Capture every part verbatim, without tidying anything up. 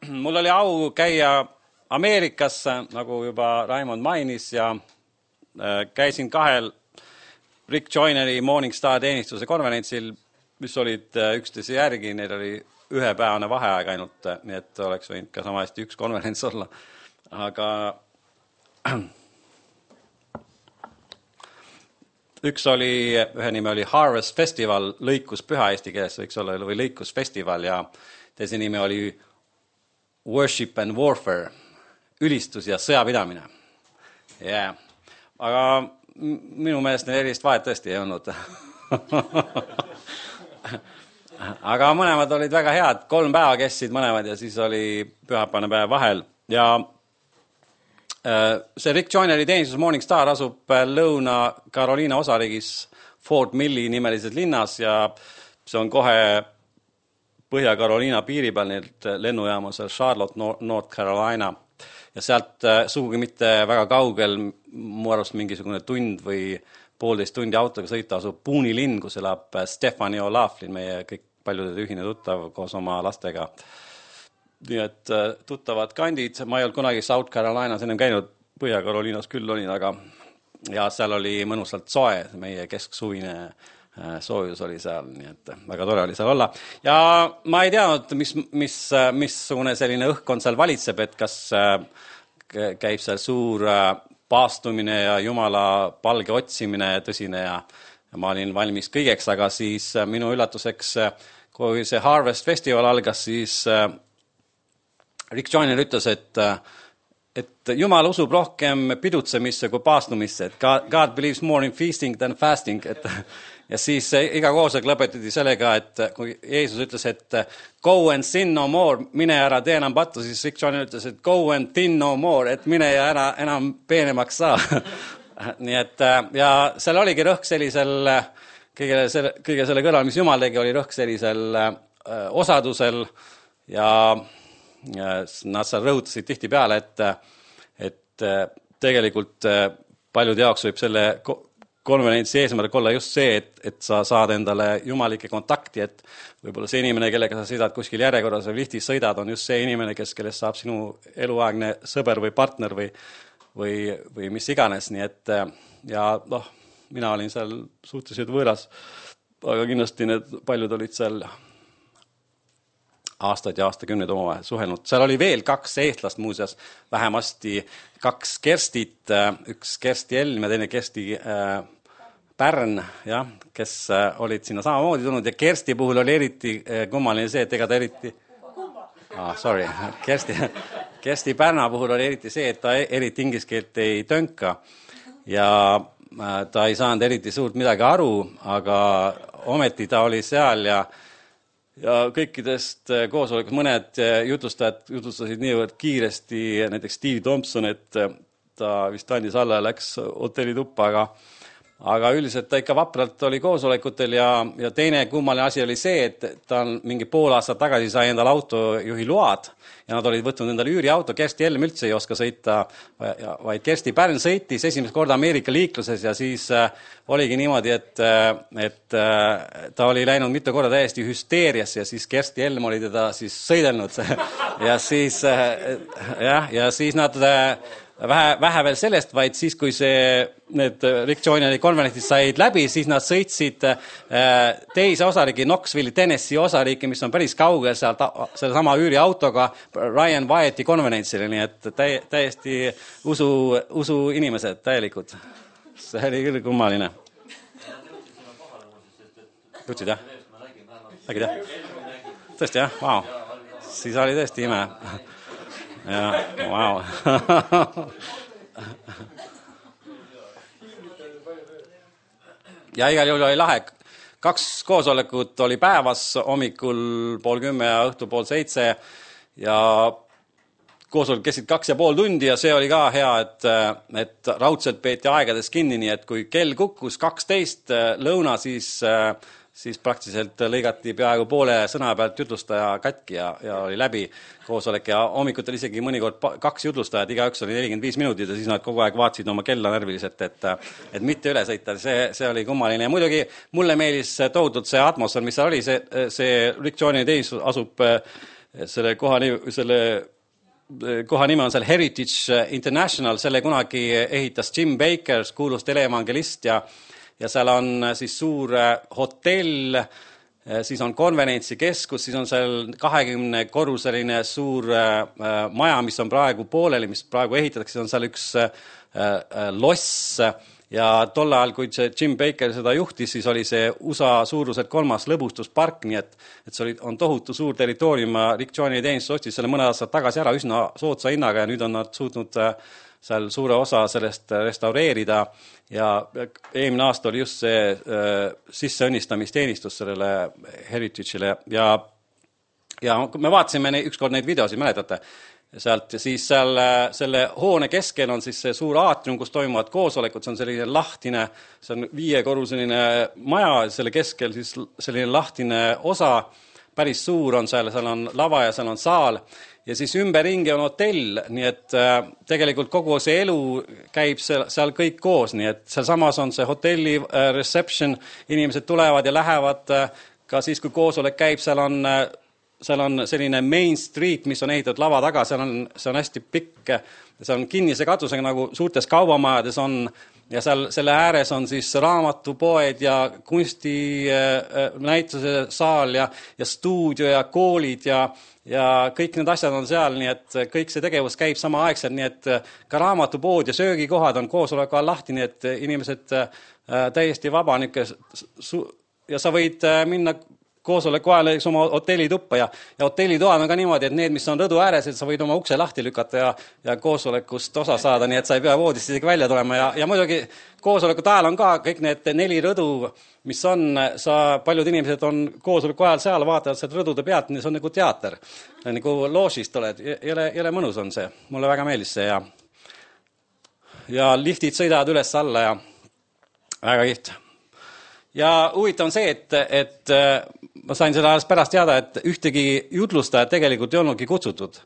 mul oli au käia Ameerikas, nagu juba Raimond mainis, ja käisin kahel Rick Joyneri Morningstar teenistuse konverentsil, mis olid üksteise järgi, neil oli ühepäevane vaheaeg ainult, nii et oleks võinud ka sama hästi üks konverents olla. Aga üks oli, ühe nime oli Harvest Festival, lõikuspüha eesti keeles võiks olla, või lõikusfestival, ja teise nime oli Worship and Warfare, ülistus ja sõjapidamine. Yeah. Aga minu meelest neil erist vahet tõesti ei olnud. Aga mõlemad olid väga head, kolm päeva kestsid mõlemad ja siis oli pühapäevane päev vahel. Ja see Rick Joyneri teenistus Morningstar asub Lõuna-Carolina osariigis Fort Milli nimelises linnas ja see on kohe Põhja-Carolina piiri peal, nii lennujaama seal Charlotte, North Carolina. Ja sealt sugugi mitte väga kaugel, mu arvast mingisugune tund või poolteist tundi autoga sõita asub Booney linn, kus elab Stephanie O'Laughlin, meie kõik paljude ühine tuttav koos oma lastega. Nii et tuttavad kandid, ma ei olnud kunagi South Carolinas ennem käinud, Põhja-Carolinas küll olin, aga ja seal oli mõnusalt soe, meie kesksuvine soojus oli seal, nii et väga tore oli seal olla. Ja ma ei teadnud, mis, mis, missugune selline õhkkond seal valitseb, et kas käib seal suur paastumine ja Jumala palge otsimine tõsine ja, ja ma olin valmis kõigeks, aga siis minu üllatuseks, kui see Harvest Festival algas, siis Rick Joyner ütles, et, et Jumal usub rohkem pidutsemisse kui paastumisse, et God, God believes more in feasting than fasting, et ja siis iga koosolek lõpetati sellega, et kui Jeesus ütles, et go and sin no more, mine ära tee enam pattu, siis Rick Joyner ütles, et go and thin no more, et mine ja ära enam peenemaks saa. Nii et, ja seal oligi rõhk sellisel, kõige selle, kõige selle kõrval, mis Jumal tegi, oli rõhk sellisel osadusel ja, ja nad seal rõhutasid tihti peale, et, et tegelikult paljude jaoks võib selle konverentsi eesmärk olla just see, et, et sa saad endale jumalike kontakti, et võib-olla see inimene, kellega sa sõidad kuskil järjekorras või liftis sõidad, on just see inimene, kes, kellest saab sinu eluaegne sõber või partner või, või, või mis iganes. Nii et, ja noh, mina olin seal suhteliselt võõras, aga kindlasti need paljud olid seal aastaid ja aastakümneid omavahel suhelnud. Seal oli veel kaks eestlast muuseas, vähemasti kaks Kerstit, üks Kersti Elm ja teine Kersti äh, Pärn, ja, kes äh, olid sinna samamoodi tulnud ja Kersti puhul oli eriti äh, kummaline see, et ega ta eriti... Ah, sorry, Kersti, Kersti Pärna puhul oli eriti see, et ta eriti ingliskeelt ei tönka ja äh, ta ei saanud eriti suurt midagi aru, aga ometi ta oli seal ja Ja kõikidest koosolekus mõned jutustajad jutustasid niivõrd kiiresti, näiteks Steve Thompson, et ta vist andis alla ja läks hotellituppa, aga, aga üldiselt ta ikka vapralt oli koosolekutel ja, ja teine kummaline asi oli see, et ta on mingi pool aastat tagasi sai endale autojuhi load ja nad olid võtnud endale üüriauto, Kersti Helm üldse ei oska sõita, vaid Kersti Pärn sõitis esimest korda Ameerika liikluses ja siis äh, oligi niimoodi, et, et äh, ta oli läinud mitu korda täiesti hüsteeriasse ja siis Kersti Helm oli teda siis sõidelnud ja siis, äh, jah, ja siis nad äh, vähe, vähe veel sellest, vaid siis, kui see, need Rick Joyneri konverentsid said läbi, siis nad sõitsid äh, teise osariigi, Knoxville'i, Tennessee osariiki, mis on päris kaugel seal selle sama üüriautoga Ryan Wyatti konverentsile, nii et täi, täiesti usu, usu inimesed, täielikud. See oli küll kummaline. Jutsid, jah? Nägid, jah? Tõesti, jah? Vau. Siis oli tõesti ime. Ja, wow. Ja igal juhul oli lahe. Kaks koosolekut oli päevas, hommikul pool kümme ja õhtu pool seitse ja koosolek kestsid kaks ja pool tundi ja see oli ka hea, et, et raudselt peeti aegades kinni, nii et kui kell kukkus kaksteist lõuna, siis siis praktiliselt lõigati peaaegu poole sõna pealt jutlustaja katki ja, ja oli läbi koosolek ja hommikutel isegi mõnikord kaks jutlustajad, igaüks oli nelikümmend viis minutit ja siis nad kogu aeg vaatsid oma kella närviliselt, et, et mitte üle sõita, see, see oli kummaline ja muidugi mulle meelis tohutult see atmosfäär, mis seal oli, see, see Rick Joyneri teenistus asub selle koha, selle koha nime on seal Heritage International, selle kunagi ehitas Jim Baker, kuulus teleevangelist ja, ja seal on siis suur hotell, siis on konverentsikeskus, siis on seal kahekümne korruseline suur maja, mis on praegu pooleli, mis praegu ehitatakse, on seal üks loss ja tol ajal, kui Jim Baker seda juhtis, siis oli see U S A suuruselt kolmas lõbustuspark, nii et, et see oli, on tohutu suur territoorium, Rick Johnny teenistus ostis selle mõne aastat tagasi ära üsna soodsa hinnaga ja nüüd on nad suutnud seal suure osa sellest restaureerida ja eelmine aasta oli just see äh, sisseõnnistamisteenistus sellele Heritage'ile ja, ja me vaatasime ne, ükskord neid videosid, mäletate, sealt ja siis seal selle hoone keskel on siis see suur aatrium, kus toimuvad koosolekud, see on selline lahtine, see on viiekorruseline maja, selle keskel siis selline lahtine osa, päris suur on seal, seal on lava ja seal on saal ja siis ümberringi on hotell, nii et äh, tegelikult kogu see elu käib seal, seal kõik koos, nii et seal samas on see hotelli äh, reception, inimesed tulevad ja lähevad äh, ka siis, kui koosolek käib, seal on, äh, seal on selline main street, mis on ehitatud lava taga, seal on, see on hästi pikk, see on kinnise katusega nagu suurtes kaubamajades on ja seal selle ääres on siis raamatupoed ja kunsti äh, näituse saal ja, ja stuudio ja koolid ja ja kõik need asjad on seal, nii et kõik see tegevus käib sama aegselt, nii et ka raamatupood ja söögikohad on koosoleku all lahti, nii et inimesed täiesti vaba ja sa võid minna koosoleku ajal oma hotellituppa ja, ja hotellitoad on ka niimoodi, et need, mis on rõdu ääres, et sa võid oma ukse lahti lükata ja, ja koosolekust osa saada, nii et sa ei pea voodist isegi välja tulema ja, ja muidugi koosolekut ajal on ka kõik need neli rõdu, mis on, sa, paljud inimesed on koosoleku ajal seal, vaatavad sealt rõdude pealt, see on nagu teater, nagu loožist oled, jõle, jõle mõnus on see, mulle väga meeldis see ja, ja liftid sõidavad üles alla ja väga kiht. Ja huvitav on see, et, et ma sain seda alles pärast teada, et ühtegi jutlustajat tegelikult ei olnudki kutsutud,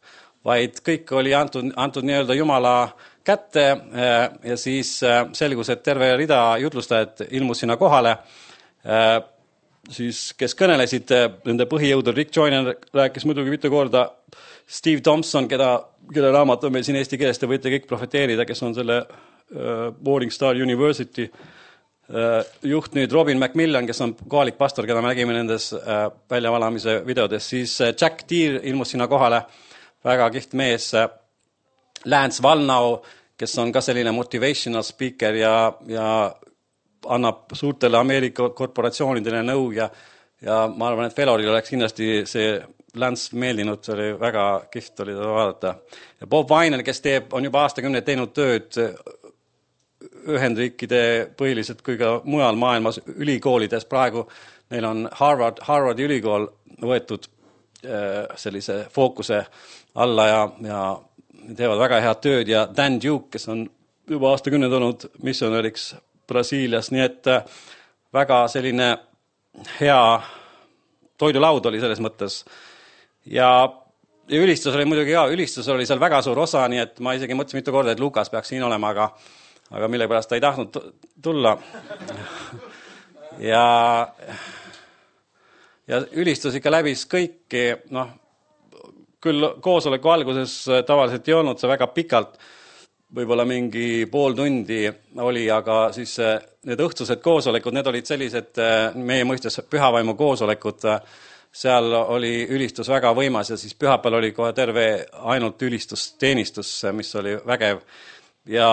vaid kõik oli antud, antud nii-öelda Jumala kätte ja siis selgus, et terve rida jutlustajad ilmus sinna kohale, siis kes kõnelesid, nende põhijõudu Rick Joyner rääkis muidugi mitu korda, Steve Thompson, keda, keda raamat on meil siin eesti keeles, te võite kõik profeteerida, kes on selle Morning Star University juht nüüd Robin McMillan, kes on kohalik pastor, keda me nägime nendes väljavalamise videodes, siis Jack Deere ilmus sinna kohale, väga kiht mees, Lance Wallnau, kes on ka selline motivational speaker ja, ja annab suurtele Ameerika korporatsioonidele nõu ja, ja ma arvan, et Feloril oleks kindlasti see Lance meeldinud, see oli väga kiht oli seda vaadata. Ja Bob Weiner, kes teeb, on juba aastakümneid teinud tööd Ühendriikide põhiliselt kui ka mujal maailmas ülikoolides praegu, neil on Harvard, Harvardi ülikool võetud sellise fookuse alla ja, ja teevad väga head tööd ja Dan Duke, kes on juba aastakümneid olnud missionäriks Brasiilias, nii et väga selline hea toidulaud oli selles mõttes ja, ja ülistus oli muidugi ka, ülistus oli seal väga suur osa, nii et ma isegi mõtlesin mitu korda, et Lukas peaks siin olema, aga aga mille pärast ta ei tahtnud tulla. Ja, ja ülistus ikka läbis kõiki, noh, küll koosoleku alguses tavaliselt ei olnud see väga pikalt, võib-olla mingi pool tundi oli, aga siis need õhtused koosolekud, need olid sellised meie mõistes pühavaimu koosolekud, seal oli ülistus väga võimas ja siis pühapäeval oli kohe terve ainult ülistusteenistus, mis oli vägev ja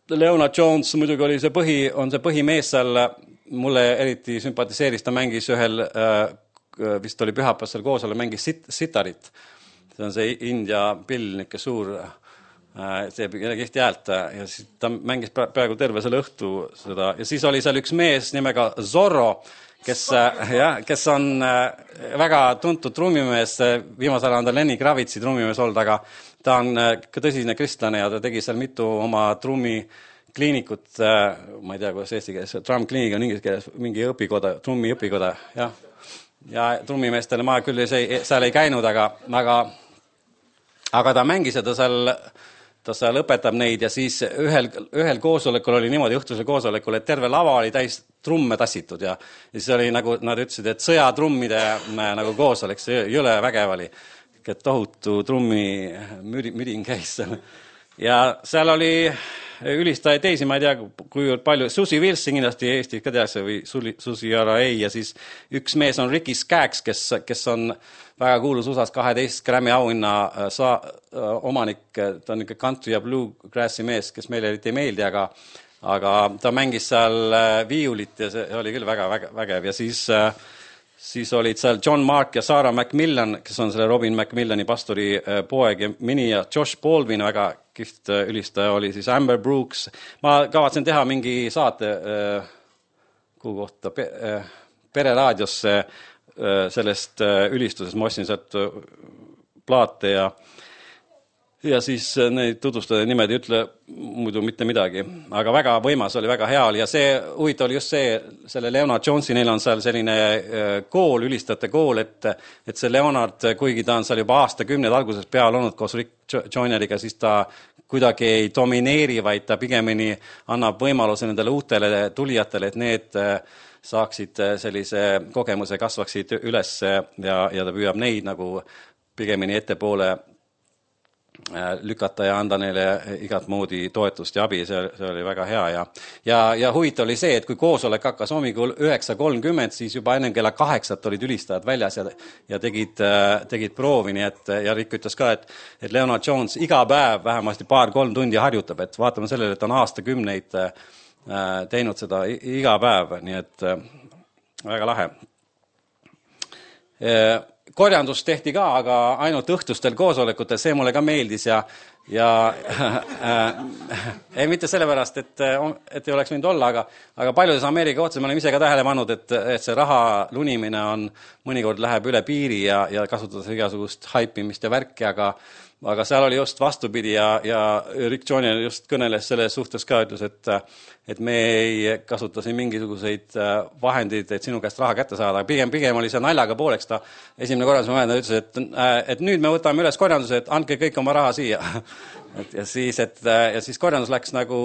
Leonard Jones muidugi oli see põhi, on see põhimees seal, mulle eriti sümpatiseeris, ta mängis ühel, vist oli pühapäevasel koosole, mängis sit, sitarit. See on see India pill, niisugune suur, teeb kihti häält ja siis ta mängis praegu terve selle õhtu seda ja siis oli seal üks mees nimega Zorro, kes, ja, kes on väga tuntud trummimees, viimasel ajal on ta Lenny Kravitsi trummimees olnud, aga ta on ka tõsine kristlane ja ta tegi seal mitu oma trummi kliinikut, ma ei tea, kuidas eesti keeles, drum kliinik on inglise keeles, mingi õpikoda, trummi õpikoda, jah. Ja trummimeestele ma küll ei, seal ei käinud, aga, aga, aga ta mängis seda seal, ta seal õpetab neid ja siis ühel, ühel koosolekul oli niimoodi õhtusel koosolekul, et terve lava oli täis trumme tassitud ja, ja siis oli nagu, nad ütlesid, et sõjatrummide nagu koosolek, see jõle vägev oli, et tohutu trummi müri, mürin käis seal. Ja seal oli ülistajaid teisi, ma ei tea, kui palju, Susi Wilson kindlasti Eestis ka tehakse või Susi R A ja siis üks mees on Ricky Skaggs, kes, kes on väga kuulus U S A-s kaheteist Grammy auhinna saa, omanik, ta on ikka country ja bluegrassi mees, kes meile eriti ei meeldi, aga, aga ta mängis seal viiulit ja see oli küll väga, väga vägev ja siis, siis olid seal John Mark ja Sarah McMillan, kes on selle Robin McMillani pastori poeg ja mini ja Josh Baldwin, väga kihvt ülistaja oli siis Amber Brooks. Ma kavatsen teha mingi saate kuhu kohta pereraadiosse sellest ülistusest, ma ostsin sealt plaate ja, ja siis neid tutvustada nimed ei ütle muidu mitte midagi, aga väga võimas oli, väga hea oli ja see huvitav oli just see, selle Leonard Jonesi, neil on seal selline kool, ülistajate kool, et, et see Leonard, kuigi ta on seal juba aastakümned alguses peal olnud koos Rick Joyneriga, siis ta kuidagi ei domineeri, vaid ta pigemini annab võimaluse nendele uutele tulijatele, et need saaksid sellise kogemuse, kasvaksid üles ja, ja ta püüab neid nagu pigemini ettepoole lükata ja anda neile igat moodi toetust ja abi, see, see oli väga hea ja, ja, ja huvitav oli see, et kui koosolek hakkas hommikul üheksa kolmkümmend, siis juba ennem kella kaheksat olid ülistajad väljas ja, ja tegid, tegid proovi, nii et ja Rick ütles ka, et, et Leonard Jones iga päev vähemasti paar-kolm tundi harjutab, et vaatame sellele, et on aastakümneid teinud seda iga päev, nii et väga lahe. Korjandus tehti ka, aga ainult õhtustel koosolekutel, see mulle ka meeldis ja, ja äh, ei mitte sellepärast, et, et ei oleks võinud olla, aga, aga paljudes Ameerika otsa me oleme ise ka tähele pannud, et, et see raha lunimine on, mõnikord läheb üle piiri ja, ja kasutades igasugust haipimist ja värki, aga aga seal oli just vastupidi ja, ja Rick Joyner just kõneles selles suhtes ka, ütles, et, et me ei kasuta siin mingisuguseid vahendeid, et sinu käest raha kätte saada. Pigem, pigem oli see naljaga pooleks. Ta esimene korraldus ma ütles, et, et nüüd me võtame üles korjanduse, et andke kõik oma raha siia. Et ja, siis, et, ja siis korjandus läks nagu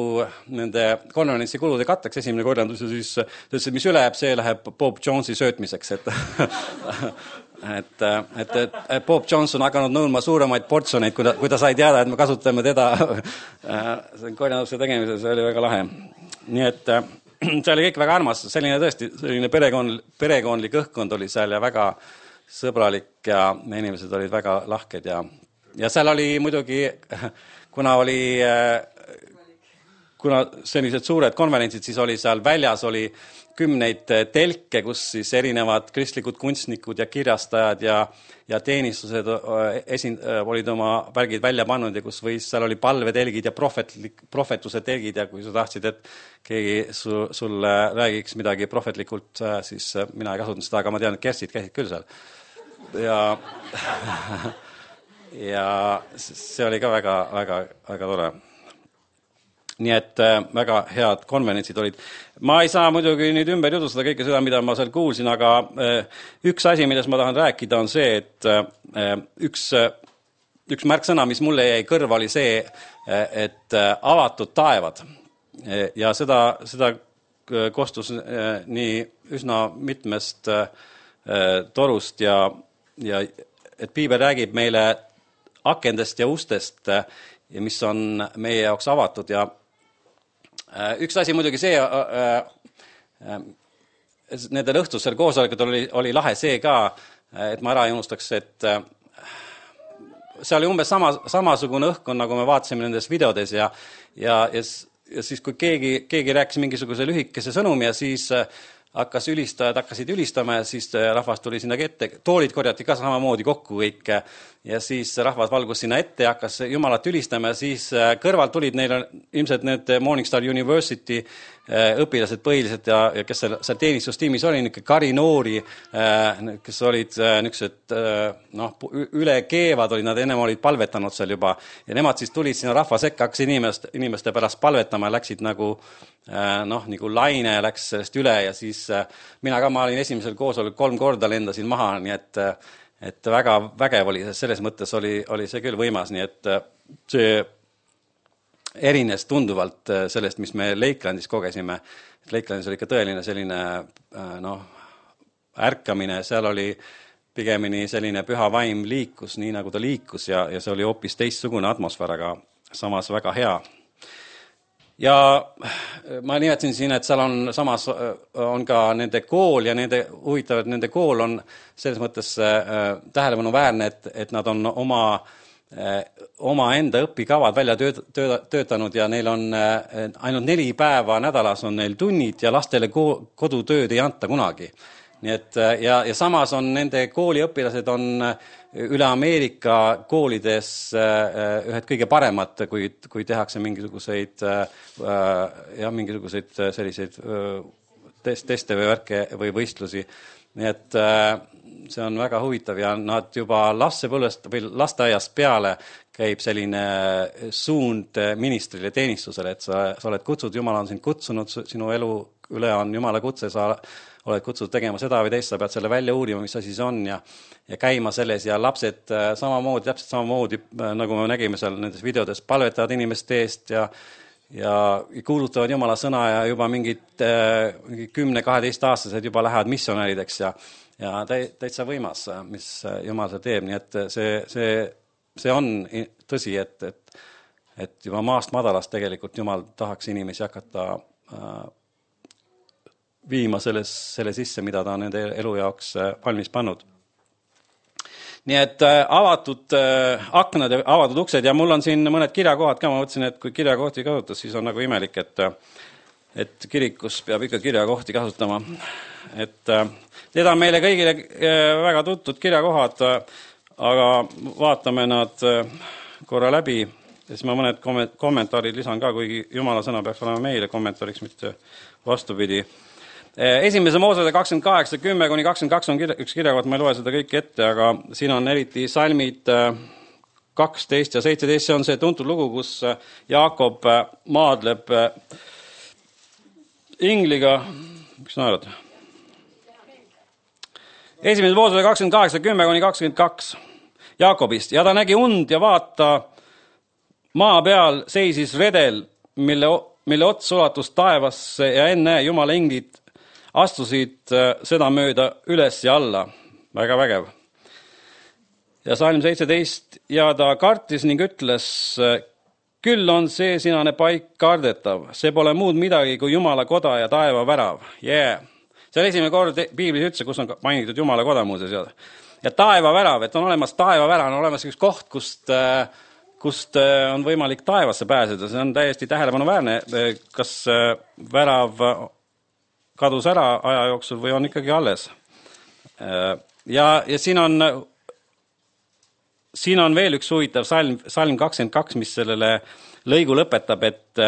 nende konverentsi kulude katteks esimene korjandus ja siis ütles, et mis üle jääb, see läheb Bob Jonesi söötmiseks. Et Et, et, et Bob Jones on hakanud nõudma suuremaid portsioneid, kui ta, kui ta sai teada, et me kasutame teda korjanduse tegemisel, see oli väga lahe. Nii et see oli kõik väga armas, selline tõesti, selline perekond, perekondlik õhkkond oli seal ja väga sõbralik ja inimesed olid väga lahked ja, ja seal oli muidugi, kuna oli, kuna sellised suured konverentsid, siis oli seal väljas oli kümneid telke, kus siis erinevad kristlikud kunstnikud ja kirjastajad ja, ja teenistused esin, olid oma värgid välja pannud ja kus võis, seal oli palvetelgid ja prohvetlik, prohvetuse telgid ja kui sa tahtsid, et keegi su, sulle räägiks midagi prohvetlikult, siis mina ei kasutanud seda, aga ma tean, et Kerstid käisid küll seal. Ja, ja see oli ka väga, väga, väga tore. Nii et äh, väga head konverentsid olid. Ma ei saa muidugi nüüd ümber jutustada kõike seda, mida ma seal kuulsin, aga äh, üks asi, millest ma tahan rääkida, on see, et äh, üks, äh, üks märksõna, mis mulle jäi kõrva, oli see, äh, et äh, avatud taevad. E, ja seda, seda kostus äh, nii üsna mitmest äh, torust ja, ja et Piibel räägib meile akendest ja ustest, äh, mis on meie jaoks avatud ja üks asi muidugi see, nendel õhtusel koosolekutel oli, oli lahe see ka, et ma ära ei unustaks, et see oli umbes sama, samasugune õhkkond, nagu me vaatasime nendes videodes ja, ja, ja, ja siis kui keegi, keegi rääkis mingisuguse lühikese sõnumi ja siis hakkas ülistajad, hakkasid ülistama ja siis rahvas tuli sinna ette, toolid korjati ka samamoodi kokku kõik ja siis rahvas valgus sinna ette ja hakkas Jumalat ülistama ja siis kõrvalt tulid neil ilmselt need Morningstar University õpilased põhiliselt ja, ja kes seal, seal teenistustiimis oli, niisugune kari noori, kes olid niisugused noh, üle keevad olid, nad ennem olid palvetanud seal juba ja nemad siis tulid sinna rahva sekka, hakkasid inimest, inimeste pärast palvetama ja läksid nagu noh, nagu laine läks sellest üle ja siis mina ka, ma olin esimesel koosolekul kolm korda lendasin maha, nii et, et väga vägev oli, selles mõttes oli, oli see küll võimas, nii et see erines tunduvalt sellest, mis me Lakelandis kogesime. Lakelandis oli ikka tõeline selline noh, ärkamine, seal oli pigemini selline püha vaim liikus, nii nagu ta liikus ja, ja see oli hoopis teistsugune atmosfäär, aga samas väga hea. Ja ma nimetasin siin, et seal on samas on ka nende kool ja nende huvitav, et nende kool on selles mõttes äh, tähelepanuväärne, et, et nad on oma äh, oma enda õpikavad välja tööd, tööd, töötanud ja neil on äh, ainult neli päeva nädalas on neil tunnid ja lastele ko- kodutööd ei anta kunagi. Nii et, ja, ja samas on nende kooliõpilased on üle Ameerika koolides ühed kõige paremad, kui, kui tehakse mingisuguseid, ja, mingisuguseid selliseid teste või värke või võistlusi. Nii et see on väga huvitav ja nad juba lapsepõlvest või lasteaiast peale käib selline suund ministrile teenistusele, et sa, sa oled kutsud, Jumal on sind kutsunud, sinu elu üle on Jumala kutse, sa oled kutsunud tegema seda või teist, sa pead selle välja uurima, mis asi see on ja, ja käima selles ja lapsed samamoodi, täpselt samamoodi, nagu me nägime seal nendes videodes, palvetavad inimeste eest ja, ja kuulutavad Jumala sõna ja juba mingid, mingid kümne kaheteist aastased juba lähevad missionärideks ja, ja täitsa võimas, mis Jumal see teeb, nii et see, see, see on tõsi, et, et, et juba maast madalast tegelikult Jumal tahaks inimesi hakata äh, viima selles, selle sisse, mida ta on nende elu jaoks valmis pannud. Nii et avatud aknad ja avatud uksed ja mul on siin mõned kirjakohad ka, ma mõtlesin, et kui kirjakohti kasutas, siis on nagu imelik, et, et kirikus peab ikka kirjakohti kasutama. Et need on meile kõigile väga tuttud kirjakohad, aga vaatame nad korra läbi ja siis ma mõned kommentaarid lisan ka, kuigi Jumala sõna peaks olema meile kommentaariks, mitte vastupidi. Esimese Moosese kakskümmend kaheksa, kümme kuni kakskümmend kaks on kirja, üks kirjakoht, ma ei loe seda kõike ette, aga siin on eriti salmid kaksteist ja seitseteist, see on see tuntud lugu, kus Jaakob maadleb ingliga, mis naerad? Esimese Moosese kakskümmend kaheksa, kümme kuni kakskümmend kaks Jaakobist ja ta nägi und ja vaata, maa peal seisis redel, mille, mille ots ulatus taevasse ja enne Jumala inglid astusid seda mööda üles ja alla. Väga vägev. Ja salm seitseteist, ja ta kartis ning ütles, küll on see sinane paik kardetav, see pole muud midagi kui Jumala koda ja taeva värav. Yeah. See on esimene kord Piiblis üldse, kus on mainitud Jumala koda muuseas. Ja taeva värav, et on olemas taeva värav, on olemas üks koht, kust, kust on võimalik taevasse pääseda. See on täiesti tähelepanuväärne, kas värav kadus ära aja jooksul või on ikkagi alles. Ja, ja siin on siin on veel üks huvitav salm, salm kakskümmend kaks, mis sellele lõigu lõpetab, et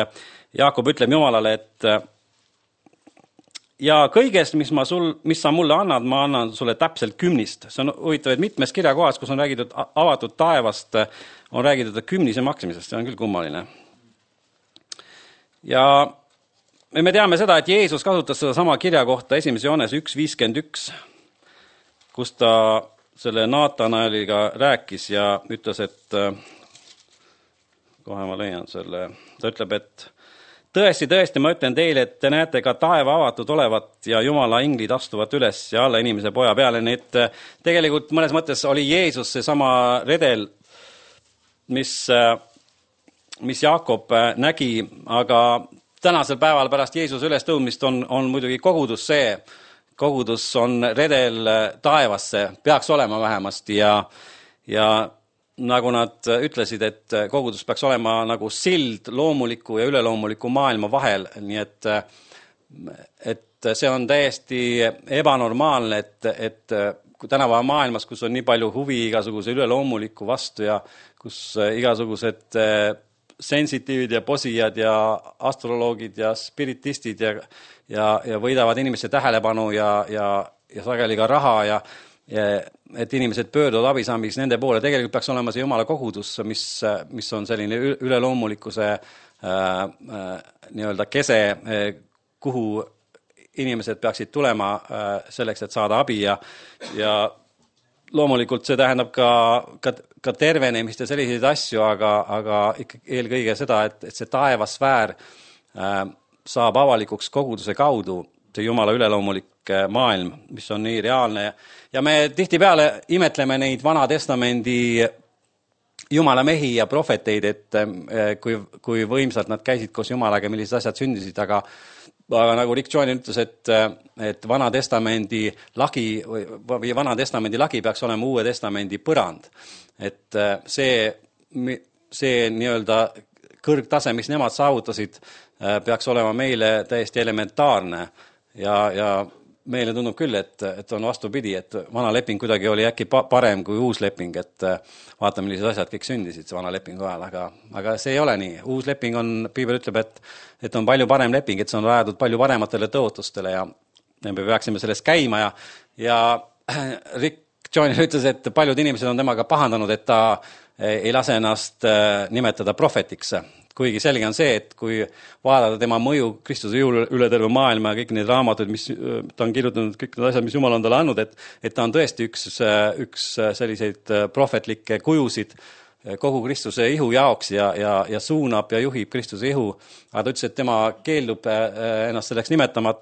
Jaakob ütleb Jumalale, et ja kõigest, mis, ma sul, mis sa mulle annad, ma annan sulle täpselt kümnist. See on huvitav, et mitmes kirjakohas, kus on räägitud avatud taevast, on räägitud kümnise maksimisest. See on küll kummaline. Ja me teame seda, et Jeesus kasutas seda sama kirjakohta esimese Johanese üks viiskümmend üks, kus ta selle Naatanaeliga rääkis ja ütles, et kohe ma leian selle, ta ütleb, et tõesti, tõesti, ma ütlen teile, et te näete ka taeva avatud olevat ja Jumala inglid astuvat üles ja alla inimese poja peale. Nii et tegelikult mõnes mõttes oli Jeesus see sama redel, mis, mis Jaakob nägi, aga tänasel päeval pärast Jeesuse ülestõudmist on, on muidugi kogudus see, kogudus on redel taevasse, peaks olema vähemasti ja, ja nagu nad ütlesid, et kogudus peaks olema nagu sild loomuliku ja üleloomuliku maailma vahel, nii et, et see on täiesti ebanormaalne, et, et tänapäeva maailmas, kus on nii palju huvi igasuguse üleloomuliku vastu ja kus igasugused sensitiivid ja posijad ja astroloogid ja spiritistid ja, ja, ja võidavad inimeste tähelepanu ja, ja, ja sageli ka raha ja, ja et inimesed pöörduvad abisaamiks nende poole. Tegelikult peaks olema see Jumala kogudus, mis, mis on selline üleloomulikkuse äh, äh, nii-öelda kese, äh, kuhu inimesed peaksid tulema äh, selleks, et saada abi ja, ja loomulikult see tähendab ka, ka, ka tervenemist ja selliseid asju, aga, aga ikka eelkõige seda, et, et see taevasfäär äh, saab avalikuks koguduse kaudu, see Jumala üleloomulik maailm, mis on nii reaalne. Ja me tihtipeale imetleme neid Vana Testamendi Jumala mehi ja profeteid, et kui, kui võimsalt nad käisid koos Jumalaga, millised asjad sündisid, aga aga nagu Rick Joyner ütles, et, et Vana Testamendi lagi või Vana Testamendi lagi peaks olema Uue Testamendi põrand. Et see, see nii-öelda kõrgtase, mis nemad saavutasid, peaks olema meile täiesti elementaarne ja, ja meile tundub küll, et, et on vastupidi, et vana leping kuidagi oli äkki parem kui uus leping, et vaatame, millised asjad kõik sündisid vana lepingu ajal, aga, aga see ei ole nii. Uus leping on, Piibel ütleb, et, et on palju parem leping, et see on rajatud palju parematele tõotustele ja me peaksime selles käima ja, ja Rick Joyner ütles, et paljud inimesed on temaga pahandanud, et ta ei lase ennast nimetada profetiks. Kuigi selge on see, et kui vaadata tema mõju Kristuse jõul üle terve maailma ja kõik need raamatud, mis ta on kirjutanud, kõik need asjad, mis Jumal on talle andnud, et, et ta on tõesti üks, üks selliseid profetlikke kujusid kogu Kristuse ihu jaoks ja, ja, ja suunab ja juhib Kristuse ihu. Aga ta ütles, et tema keeldub ennast selleks nimetama,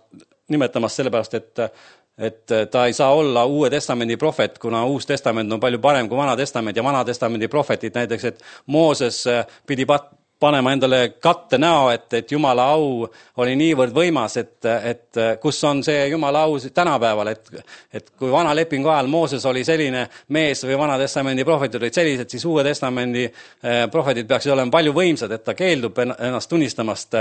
nimetamas sellepärast, et et ta ei saa olla Uue Testamendi profet, kuna Uus Testament on palju parem kui Vana Testament ja Vana Testamendi profetid näiteks, et Mooses pidi pat panema endale katte näo, et, et Jumala au oli niivõrd võimas, et, et kus on see Jumala au tänapäeval, et, et kui vana lepingu ajal Mooses oli selline mees või Vana Testamendi profetid olid sellised, siis Uue Testamendi profetid peaksid olema palju võimsad, et ta keeldub ennast tunnistamast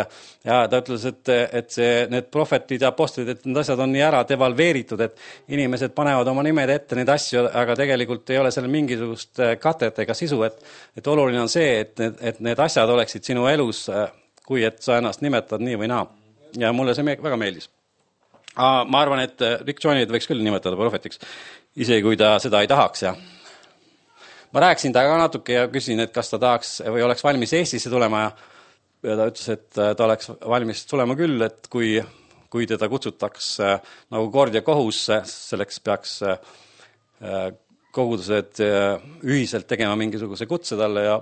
ja ta ütles, et, et see, need profetid ja apostlid, et need asjad on nii ära devalveeritud, et inimesed panevad oma nimed ette neid asju, aga tegelikult ei ole seal mingisugust katet ega sisu, et, et oluline on see, et, et need asjad oleks sinu elus, kui et sa ennast nimetad nii või naa. Ja mulle see väga meeldis. Ma arvan, et Rick Joynerit võiks küll nimetada profetiks, isegi kui ta seda ei tahaks. Ja ma rääkisin ta ka natuke ja küsin, et kas ta tahaks või oleks valmis Eestisse tulema ja, ja ta ütles, et ta oleks valmis tulema küll, et kui, kui teda kutsutaks nagu kord ja kohus, selleks peaks kogudused ühiselt tegema mingisuguse kutse talle ja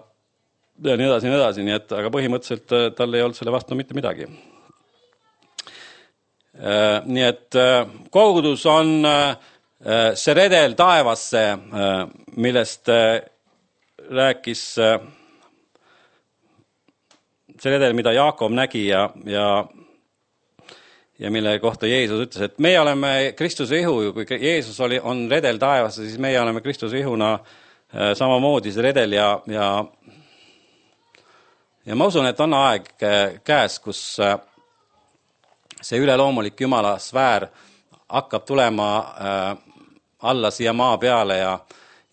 ja nii edasi, nii edasi, nii et, aga põhimõtteliselt tal ei olnud selle vastu mitte midagi. Nii et kogudus on see redel taevasse, millest rääkis see redel, mida Jaakob nägi ja, ja, ja mille kohta Jeesus ütles, et meie oleme Kristuse ihu, kui Jeesus oli, on redel taevasse, siis meie oleme Kristuse ihuna samamoodi see redel ja, ja Ja ma usun, et on aeg käes, kus see üleloomulik Jumala sfäär hakkab tulema alla siia maa peale ja,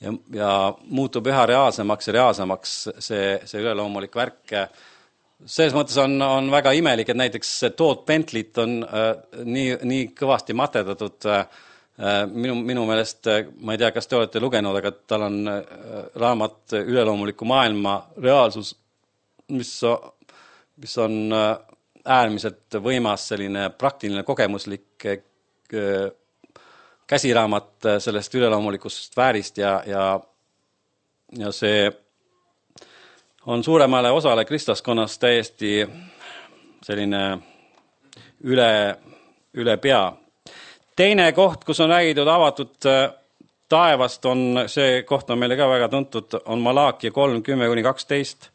ja, ja muutub üha reaalsemaks ja reaalsemaks see, see üleloomulik värk. Selles mõttes on, on väga imelik, et näiteks Todd Bentley't on nii, nii kõvasti matedatud. Minu, minu meelest, ma ei tea, kas te olete lugenud, aga tal on raamat üleloomuliku maailma reaalsus, mis, mis on äärmiselt võimas selline praktiline kogemuslik käsiraamat sellest üleloomulikust sfäärist ja, ja, ja see on suuremale osale kristlaskonnast täiesti selline üle, üle pea. Teine koht, kus on räägitud avatud taevast, on see koht on meile ka väga tuntud, on Malaakia kolm, kümme kuni kaksteist.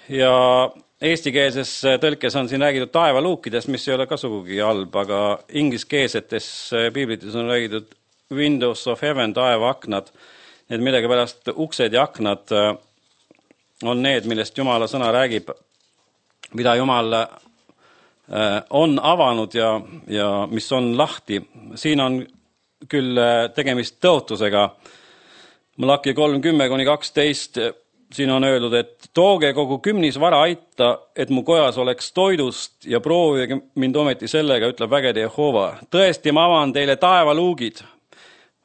Ja eestikeelses tõlkes on siin räägitud taevaluukidest, mis ei ole ka sugugi halb, aga ingliskeelsetes piiblites on räägitud Windows of Heaven, taevaaknad. Need millega pärast uksed ja aknad on need, millest Jumala sõna räägib, mida Jumal on avanud ja, ja mis on lahti. Siin on küll tegemist tõotusega. Malaakia kolm, kümme kuni kaksteist siin on öeldud, et tooge kogu kümnis vara aita, et mu kojas oleks toidust ja proovige mind ometi sellega, ütleb vägede Jehova. Tõesti, ma avan teile taevaluugid.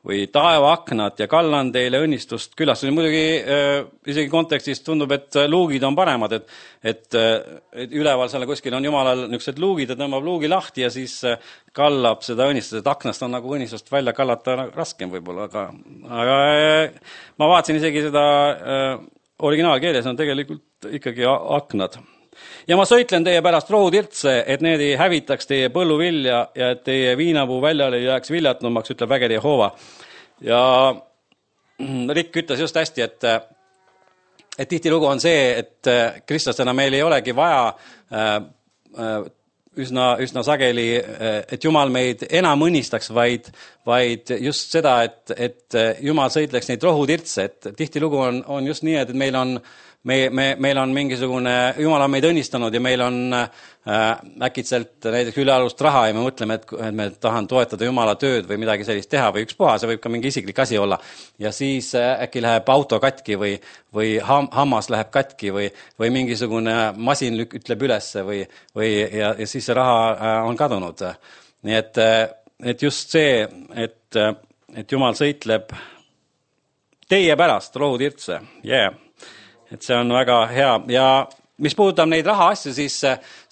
või taevaaknad ja kallan teile õnnistust külastada. Muidugi äh, isegi kontekstis tundub, et luugid on paremad, et, et, et üleval seal kuskil on Jumalal niisugused luugid ja tõmbab luugi lahti ja siis kallab seda õnnistust, et aknast on nagu õnnistust välja kallata raskem võib-olla, aga, aga ma vaatasin isegi seda äh, originaalkeeles on tegelikult ikkagi aknad. Ja ma sõitlen teie pärast rohutirtse, et need ei hävitaks teie põlluvilja ja et teie viinapuu väljale ei jääks viljatnumaks, ütleb vägede Jehova. Ja Rick ütles just hästi, et, et tihti lugu on see, et kristlastena meil ei olegi vaja äh, üsna, üsna sageli, et Jumal meid enam õnnistaks, vaid, vaid just seda, et, et Jumal sõitleks neid rohutirtse, et tihti lugu on, on just nii, et meil on Me, me, meil on mingisugune, Jumal on meid õnnistanud ja meil on äh, äkitselt näiteks ülealust raha ja me mõtleme, et, et me tahan toetada Jumala tööd või midagi sellist teha või ükspuha, see võib ka mingi isiklik asi olla. Ja siis äh, äkki läheb auto katki või, või ham, hammas läheb katki või, või mingisugune masin ütleb ülesse või, või, ja, ja siis see raha äh, on kadunud. Nii et, et just see, et, et Jumal sõitleb teie pärast rohutirtse, yeah. Et see on väga hea ja mis puudutab neid raha asju, siis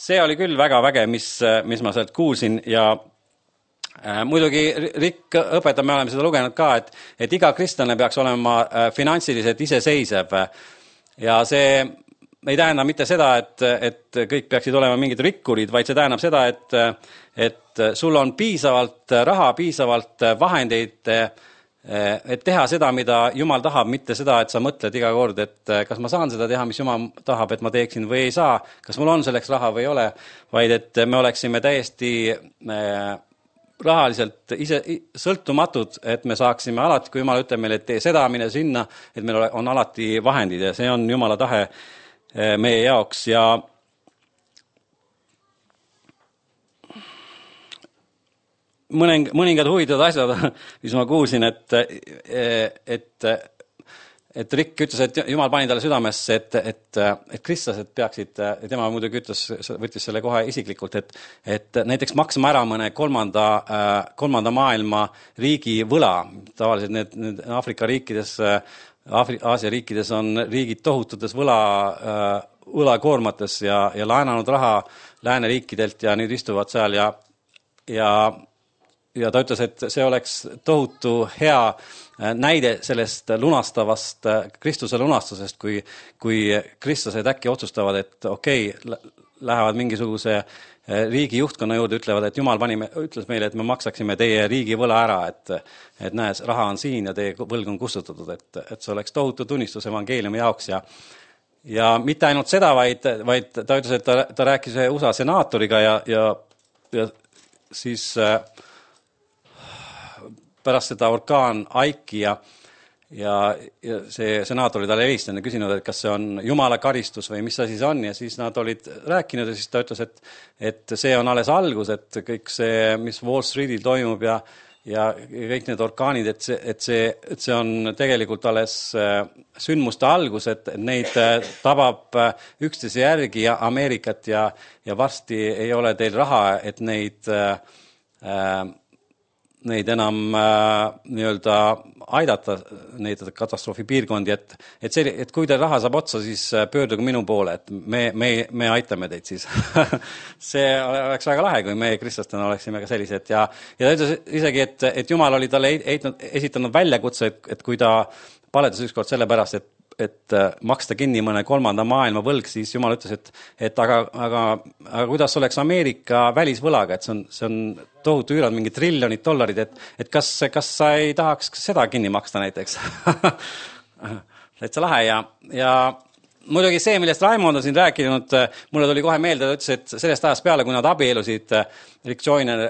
see oli küll väga väge, mis, mis ma sealt kuulsin ja äh, muidugi Rick õpetab, me oleme seda lugenud ka, et, et iga kristlane peaks olema äh, finantsiliselt iseseisev ja see ei tähenda mitte seda, et, et kõik peaksid olema mingid rikkurid, vaid see tähendab seda, et, et sul on piisavalt raha, piisavalt vahendeid, et teha seda, mida Jumal tahab, mitte seda, et sa mõtled iga kord, et kas ma saan seda teha, mis Jumal tahab, et ma teeksin või ei saa, kas mul on selleks raha või ei ole, vaid et me oleksime täiesti rahaliselt ise sõltumatud, et me saaksime alati, kui Jumal ütleb meile, et tee seda, mine sinna, et meil on alati vahendid ja see on Jumala tahe meie jaoks ja mõning, mõningad huvitavad asjad, mis ma kuulsin, et, et, et Rick ütles, et Jumal pani talle südamesse, et, et, et kristlased peaksid, tema muidugi ütles, võttis selle kohe isiklikult, et, et näiteks maksma ära mõne kolmanda, kolmanda maailma riigi võla. Tavaliselt need, need Afrika riikides, Afri, Aasia riikides on riigid tohututes võla, võlakoormates ja, ja laenanud raha lääneriikidelt ja nüüd istuvad seal ja, ja ja ta ütles, et see oleks tohutu hea näide sellest lunastavast Kristuse lunastusest, kui, kui kristlased äkki otsustavad, et okei, okay, lähevad mingisuguse riigi juhtkonna juurde, ütlevad, et Jumal pani, ütles meile, et me maksaksime teie riigi võla ära, et, et näes, raha on siin ja teie võlg on kustutatud, et, et see oleks tohutu tunnistus evangeeliumi jaoks ja ja mitte ainult seda, vaid, vaid ta ütles, et ta, ta rääkis U S A senaatoriga ja, ja, ja siis pärast seda orkaan Aiki ja, ja, ja see senaator oli talle helistanud ja küsinud, et kas see on Jumala karistus või mis asi see on ja siis nad olid rääkinud ja siis ta ütles, et, et see on alles algus, et kõik see, mis Wall Streetil toimub ja, ja kõik need orkaanid, et see, et see, et see on tegelikult alles sündmuste algus, et neid tabab üksteise järgi ja Ameerikat ja, ja varsti ei ole teil raha, et neid äh, neid enam äh, nii-öelda aidata neid katastroofipiirkondi, et, et, see, et kui teil raha saab otsa, siis pöörduge minu poole, et me, me, me aitame teid siis. See oleks väga lahe, kui me kristlastena oleksime ka sellised ja, ja ta ütles isegi, et, et Jumal oli talle eitnud, esitanud väljakutse, et, et kui ta paletas ükskord selle pärast, et et maksta kinni mõne kolmanda maailma võlg, siis Jumal ütles, et, et aga, aga, aga kuidas oleks Ameerika välisvõlaga, et see on, see on tohutu üürad, mingi triljonid dollarid, et, et kas, kas sa ei tahaks seda kinni maksta näiteks? Täitsa lahe ja, ja muidugi see, millest Raimond on siin rääkinud, mulle tuli kohe meelde, ta ütles, et sellest ajast peale, kui nad abielusid, Rick Joyner,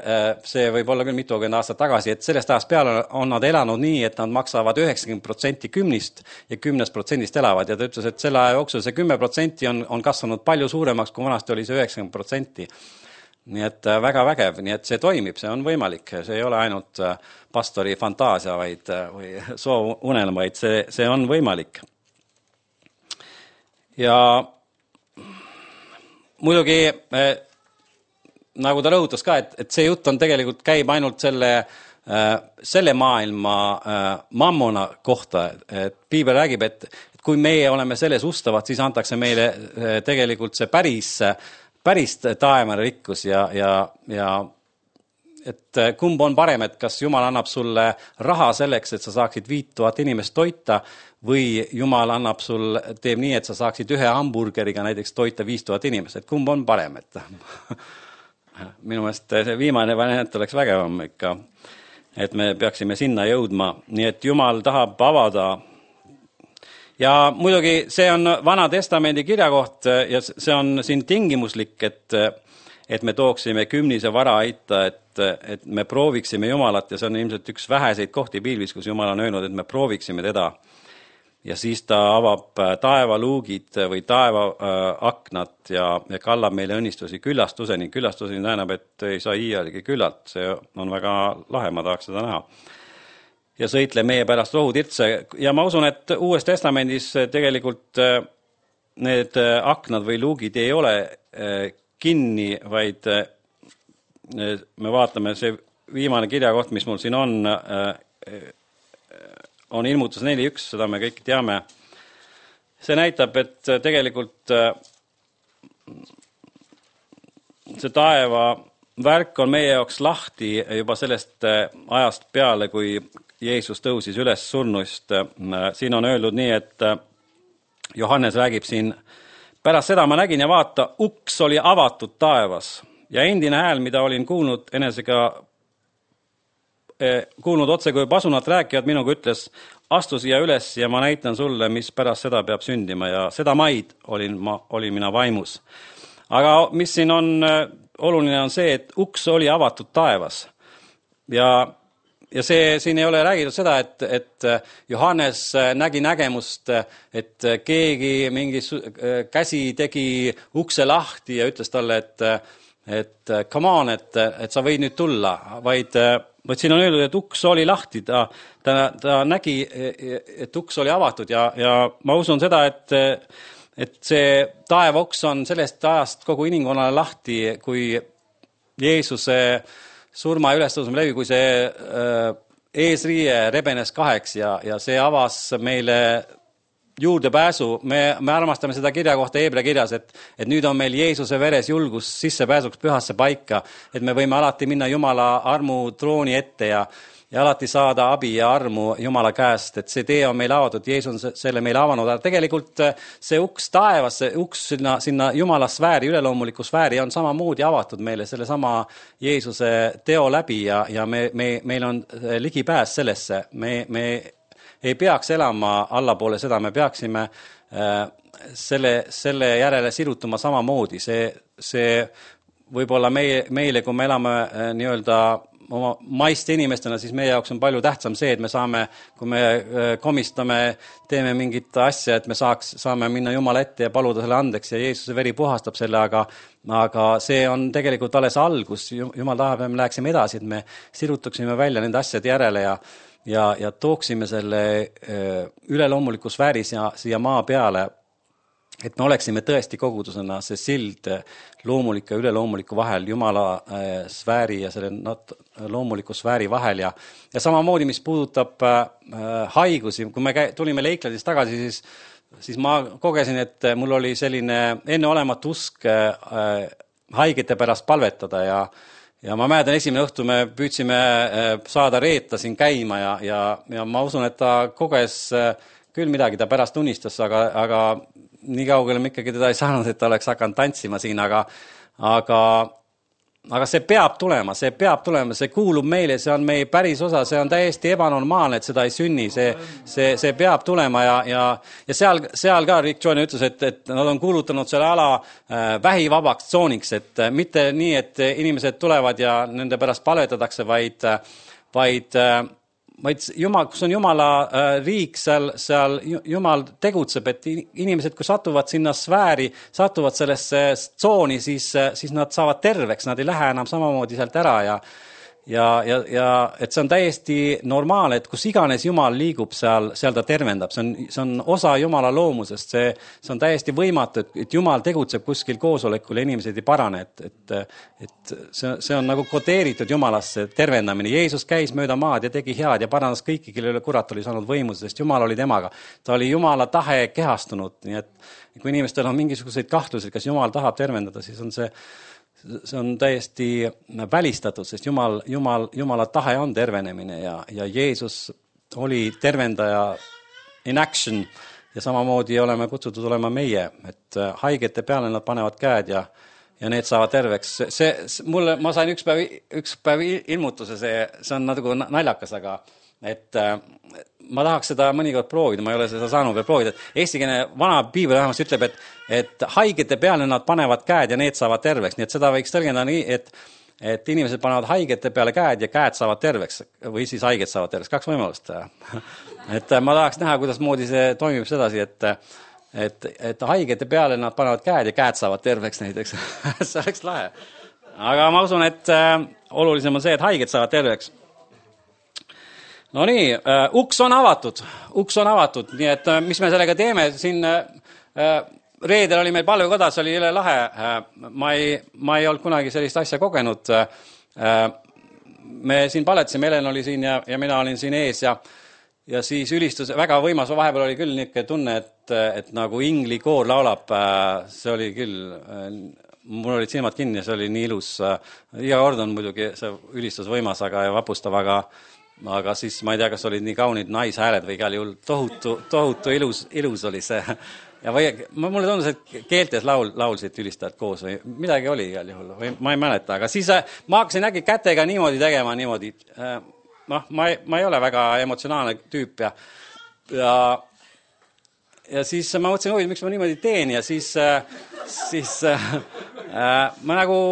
see võib olla küll mitukümmend aastat tagasi, et sellest ajast peale on nad elanud nii, et nad maksavad üheksakümmend protsenti kümnist ja kümnest protsendist elavad ja ta ütles, et selle aja jooksul see kümme protsenti on, on kasvanud palju suuremaks, kui vanasti oli see üheksakümmend protsenti. Nii et väga vägev, nii et see toimib, see on võimalik, see ei ole ainult pastori fantaasia vaid, või soov unelma, vaid see, see on võimalik. Ja muidugi eh, nagu ta rõhutas ka, et, et see jutt on tegelikult käib ainult selle selle maailma mammona kohta, et piibel räägib, et, et kui meie oleme selles ustavad, siis antakse meile tegelikult see päris, päris taevane rikkus ja, ja, ja et kumb on parem, et kas Jumal annab sulle raha selleks, et sa saaksid viit tuhat inimest toita või Jumal annab sul, teeb nii, et sa saaksid ühe hamburgeriga näiteks toita viis tuhat inimest, et kumb on parem, et minu meelest see viimane variant oleks vägevam ikka, et me peaksime sinna jõudma, nii et Jumal tahab avada. Ja muidugi see on Vana Testamendi kirjakoht ja see on siin tingimuslik, et, et me tooksime kümnise vara aita, et, et me prooviksime Jumalat ja see on ilmselt üks väheseid kohti piiblis, kus Jumal on öelnud, et me prooviksime teda. Ja siis ta avab taevaluugid või taevaaknad ja, ja kallab meile õnnistusi küllastuseni. Küllastuseni tähendab, et ei saa iialgi küllalt. See on väga lahe, ma tahaks seda näha. Ja sõitle meie pärast rohutirtse. Ja ma usun, et Uues Testamendis tegelikult need aknad või luugid ei ole kinni, vaid me vaatame see viimane kirjakoht, mis mul siin on, on ilmutus neli üks, seda me kõik teame. See näitab, et tegelikult see taeva värk on meie jaoks lahti juba sellest ajast peale, kui Jeesus tõusis üles surnuist. Siin on öeldud nii, et Johannes räägib siin, pärast seda ma nägin ja vaata, uks oli avatud taevas ja endine hääl, mida olin kuulnud enesega kuulnud otse, kui pasunat rääkivad, minuga ütles, astu siia üles ja ma näitan sulle, mis pärast seda peab sündima ja seda maid olin, ma, olin mina vaimus. Aga mis siin on oluline on see, et uks oli avatud taevas ja, ja see siin ei ole räägitud seda, et, et Johannes nägi nägemust, et keegi mingi käsi tegi ukse lahti ja ütles talle, et, et come on, et, et sa võid nüüd tulla, vaid Vaid siin on öeldud, et uks oli lahti, ta, ta, ta nägi, et uks oli avatud ja, ja ma usun seda, et, et see taevaoks on sellest ajast kogu inimkonnale lahti, kui Jeesuse surma ja ülestõusme läbi, kui see äh, eesriie rebenes kaheks ja, ja see avas meile juurdepääsu. Me, me armastame seda kirja kohta Heebrea kirjas, et, et nüüd on meil Jeesuse veres julgus sissepääsuks pühasse paika, et me võime alati minna Jumala armu trooni ette ja, ja alati saada abi ja armu Jumala käest, et see tee on meil avatud, Jeesus on selle meile avanud, aga tegelikult see uks taevas, see uks sinna, sinna Jumala sfääri, üleloomuliku sfääri on samamoodi avatud meile selle sama Jeesuse teo läbi ja, ja me, me, meil on ligipääs sellesse, me, me ei peaks elama allapoole seda, me peaksime äh, selle, selle järele sirutuma samamoodi. See, see võib-olla meie, meile, kui me elame äh, nii-öelda oma maiste inimestena, siis meie jaoks on palju tähtsam see, et me saame, kui me äh, komistame, teeme mingit asja, et me saaks, saame minna Jumala ette ja paluda selle andeks ja Jeesuse veri puhastab selle, aga, aga see on tegelikult alles algus. Jumal tahab, et me läheksime edasi, et me sirutaksime välja nende asjade järele ja Ja, ja tooksime selle üleloomuliku sfääri siia, siia maa peale, et me oleksime tõesti kogudusena see sild loomuliku ja üleloomuliku vahel, Jumala sfääri ja selle loomuliku sfääri vahel. Ja, ja samamoodi, mis puudutab haigusi, kui me tulime Leikladist tagasi, siis, siis ma kogesin, et mul oli selline enneolematu usk haigete pärast palvetada ja Ja ma mäletan, esimene õhtu me püüdsime saada Reeta siin käima ja, ja, ja ma usun, et ta koges küll midagi, ta pärast unistas, aga, aga nii kaugele me ikkagi teda ei saanud, et ta oleks hakanud tantsima siin, aga, aga, aga see peab tulema, see peab tulema, see kuulub meile, see on meie päris osa, see on täiesti ebanormaalne, et seda ei sünni, see, see, see peab tulema ja, ja, ja seal, seal ka Rick Joyner ütles, et, et nad on kuulutanud selle ala äh, vähivabaks tsooniks, et äh, mitte nii, et inimesed tulevad ja nende pärast palvetatakse, vaid, vaid äh, vaid Jumal, kus on Jumala äh, riik, seal, seal Jumal tegutseb, et inimesed, kui satuvad sinna sfääri, satuvad sellesse tsooni, siis, siis nad saavad terveks, nad ei lähe enam samamoodi sealt ära ja, ja, ja, ja et see on täiesti normaalne, et kus iganes Jumal liigub, seal, seal ta tervendab. See on, see on osa Jumala loomusest. See, see on täiesti võimatu, et, et Jumal tegutseb kuskil koosolekul ja inimesed ei parane. Et, et, et see, see on nagu kodeeritud Jumalasse tervendamine. Jeesus käis mööda maad ja tegi head ja parandas kõiki, kellele kurat oli saanud võimuse, sest Jumal oli temaga. Ta oli Jumala tahe kehastunud. Nii et kui inimestel on mingisuguseid kahtlusi, kas Jumal tahab tervendada, siis on see see on täiesti välistatud, sest Jumal, Jumal, Jumala tahe on tervenemine ja, ja Jeesus oli tervendaja in action ja samamoodi oleme kutsutud olema meie, et haigete peale nad panevad käed ja, ja need saavad terveks. See, see, mulle, ma sain üks päev, üks päev ilmutuse, see, see on nagu naljakas, aga et ma tahaks seda mõnikord proovida, ma ei ole seda saanud veel proovida. Eestikeelne vana piibel vähemasti ütleb, et, et haigete peale nad panevad käed ja need saavad terveks. Nii et seda võiks tõlgendada nii, et, et inimesed panevad haigete peale käed ja käed saavad terveks või siis haiged saavad terveks. Kaks võimalust. Et ma tahaks näha, kuidas moodi see toimib sedasi, et, et, et haigete peale nad panevad käed ja käed saavad terveks näiteks. See oleks lahe. Aga ma usun, et olulisem on see, et haiged saavad terveks. No nii, uh, uks on avatud, uks on avatud, nii et uh, mis me sellega teeme, siin uh, reedel oli meil palvekoda, see oli jälle lahe, uh, ma, ei, ma ei olnud kunagi sellist asja kogenud, uh, me siin paletasime, Helen oli siin ja, ja mina olin siin ees ja, ja siis ülistus, väga võimas, vahepeal oli küll niisugune tunne, et, et nagu ingli koor laulab, uh, see oli küll, uh, mul olid silmad kinni ja see oli nii ilus, uh, iga kord on muidugi see ülistus võimas, aga ja vapustav, aga aga siis ma ei tea, kas olid nii kaunid naishääled või igal juhul tohutu, tohutu ilus, ilus oli see. Ja või, mulle tundus, et keeltes laul, laulsid ülistajad koos või midagi oli igal juhul, või ma ei mäleta, aga siis ma hakkasin äkki kätega niimoodi tegema, niimoodi. noh, ma ei, ma ei ole väga emotsionaalne tüüp ja, ja, ja siis ma mõtlesin, oi, miks ma niimoodi teen ja siis, siis äh, ma nagu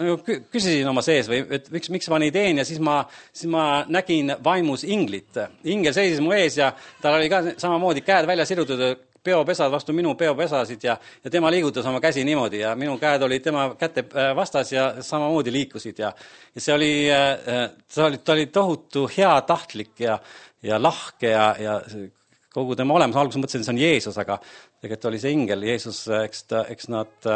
küsisin oma sees või et miks, miks ma nii teen ja siis ma, siis ma nägin vaimus inglit. Ingel seisis mu ees ja tal oli ka samamoodi käed välja sirutud, peopesad vastu minu peopesasid ja, ja tema liigutas oma käsi niimoodi ja minu käed olid tema käte vastas ja samamoodi liikusid ja, ja see oli, see oli, ta oli tohutu hea tahtlik ja, ja lahke ja, ja kogu tema olemus. Alguses mõtlesin, see on Jeesus, aga tegelikult oli see ingel. Jeesus, eks, ta, eks nad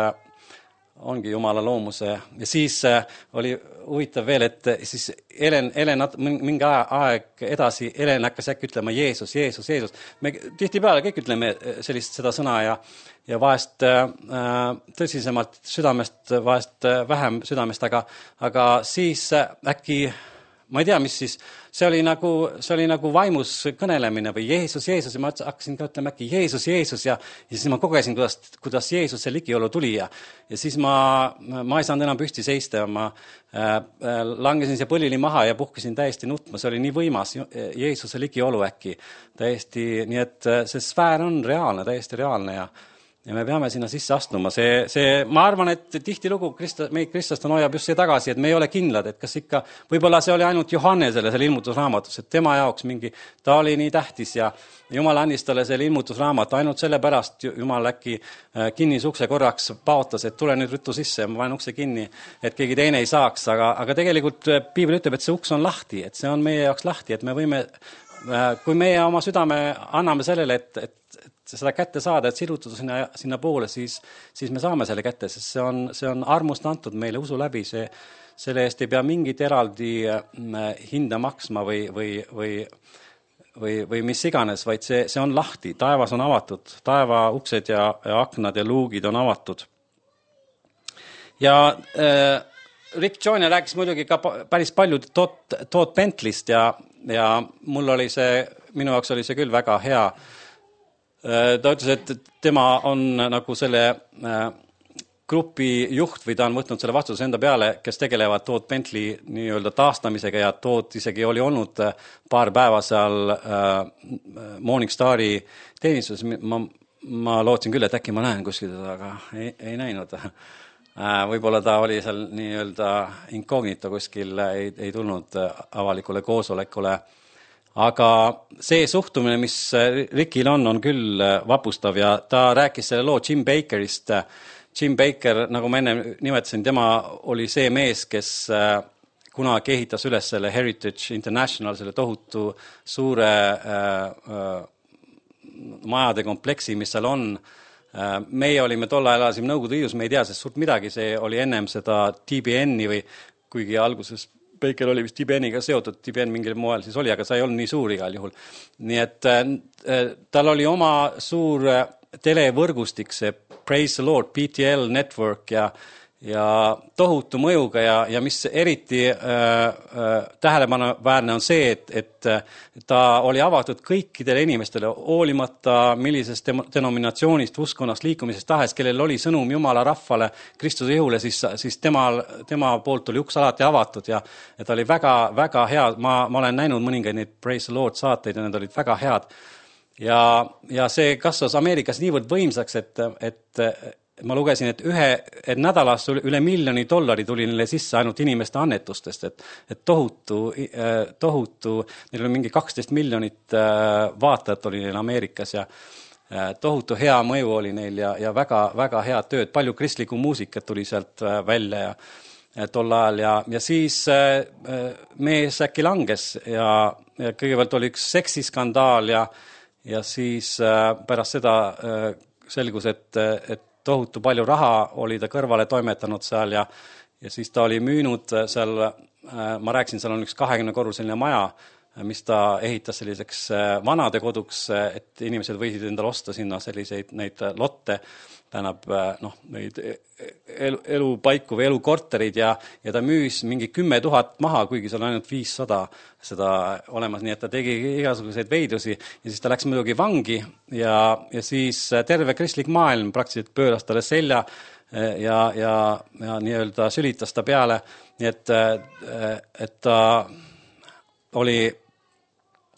ongi Jumala loomuse ja siis äh, oli huvitav veel, et siis Helen, Helen mingi aeg edasi Helen hakkas äkki ütlema Jeesus, Jeesus, Jeesus. Me tihtipeale kõik ütleme sellist seda sõna ja, ja vahest äh, tõsisemalt südamest, vahest vähem südamest, aga, aga siis äkki ma ei tea, mis siis, see oli nagu, see oli nagu vaimus kõnelemine või Jeesus, Jeesus ja ma hakkasin ka ütlema äkki Jeesus, Jeesus ja, ja siis ma kogesin, kuidas, kuidas Jeesus see ligiolu tuli ja, ja siis ma, ma ei saanud enam püsti seista ja ma äh, langesin see põlili maha ja puhkesin täiesti nutma, see oli nii võimas Jeesuse ligiolu äkki täiesti, nii et see sfäär on reaalne, täiesti reaalne ja ja me peame sinna sisse astuma. See, see, ma arvan, et tihtilugu Krista, meid Kristast on hoiab just see tagasi, et me ei ole kindlad, et kas ikka, võib-olla see oli ainult Johannele selle ilmutusraamatus, et tema jaoks mingi, ta oli nii tähtis ja Jumal andis talle selle ilmutusraamat, ainult selle pärast Jumal äkki kinnis ukse korraks paotas, et tule nüüd rüttu sisse ja ma panen ukse kinni, et keegi teine ei saaks, aga, aga tegelikult piibel ütleb, et see uks on lahti, et see on meie jaoks lahti, et me võime, kui meie oma südame anname sellele, et, et et seda kätte saada, et sirutada sinna, sinna poole, siis, siis me saame selle kätte, sest see on, see on armust antud meile usu läbi, see, selle eest ei pea mingit eraldi hinda maksma või, või, või, või, või mis iganes, vaid see, see on lahti, taevas on avatud, taeva uksed ja, ja aknad ja luugid on avatud. Ja äh, Rick Joyner rääkis muidugi ka päris palju Todd, Todd Bentleyst ja, ja mul oli see, minu jaoks oli see küll väga hea. Ta ütles, et tema on nagu selle grupi juht või ta on võtnud selle vastutuse enda peale, kes tegelevad Todd Bentley nii-öelda taastamisega ja Todd isegi oli olnud paar päeva seal Morningstari teenistuses. Ma, ma lootsin küll, et äkki ma näen kuskil teda, aga ei, ei näinud. Võib-olla ta oli seal nii-öelda incognito kuskil, ei, ei tulnud avalikule koosolekule. Aga see suhtumine, mis Rickil on, on küll vapustav ja ta rääkis selle loo Jim Bakerist. Jim Baker, nagu ma enne nimetasin, tema oli see mees, kes kunagi ehitas üles selle Heritage International, selle tohutu suure äh, äh, majade kompleksi, mis seal on. Äh, meie olime tol ajal elasime Nõukogude Liidus, me ei tea sest suurt midagi, see oli ennem seda T B N-i või kuigi alguses Baker oli vist T B N-iga seotud, T B N mingil moel siis oli, aga sa ei olnud nii suur igal juhul. Nii et äh, tal oli oma suur televõrgustik, see Praise the Lord, P T L Network ja ja tohutu mõjuga ja, ja mis eriti äh, äh, tähelepanuväärne on see, et, et ta oli avatud kõikidele inimestele, hoolimata millisest denominatsioonist, uskonnast, liikumisest tahes, kellel oli sõnum Jumala rahvale, Kristuse ihule, siis, siis tema, tema poolt oli uks alati avatud ja, ja ta oli väga, väga hea, ma, ma olen näinud mõningaid neid Praise the Lord saateid ja need olid väga head. Ja, ja see kasvas Ameerikas niivõrd võimsaks, et, et ma lugesin, et ühe et nädalas üle miljoni dollari tuli neile sisse ainult inimeste annetustest, et, et tohutu, tohutu, neil oli mingi kaksteist miljonit vaatajat oli neil Ameerikas ja tohutu hea mõju oli neil ja, ja väga, väga head tööd, palju kristlikku muusikat tuli sealt välja ja tol ajal ja, ja siis mees äkki langes ja, ja kõigepealt oli üks seksiskandaal ja, ja siis pärast seda selgus, et, et tohutu palju raha oli ta kõrvale toimetanud seal ja, ja siis ta oli müünud seal, ma rääkisin, seal on üks kahekümne korruseline maja, mis ta ehitas selliseks vanade koduks, et inimesed võisid endale osta sinna selliseid neid lotte, tähendab noh, neid elu, elupaiku või elukorterid ja, ja ta müüs mingi kümme tuhat maha, kuigi seal on ainult viissada seda olemas, nii et ta tegi igasuguseid veidrusi ja siis ta läks muidugi vangi ja, ja siis terve kristlik maailm praktiliselt pööras talle selja ja, ja, ja nii-öelda sülitas ta peale, nii et, et ta oli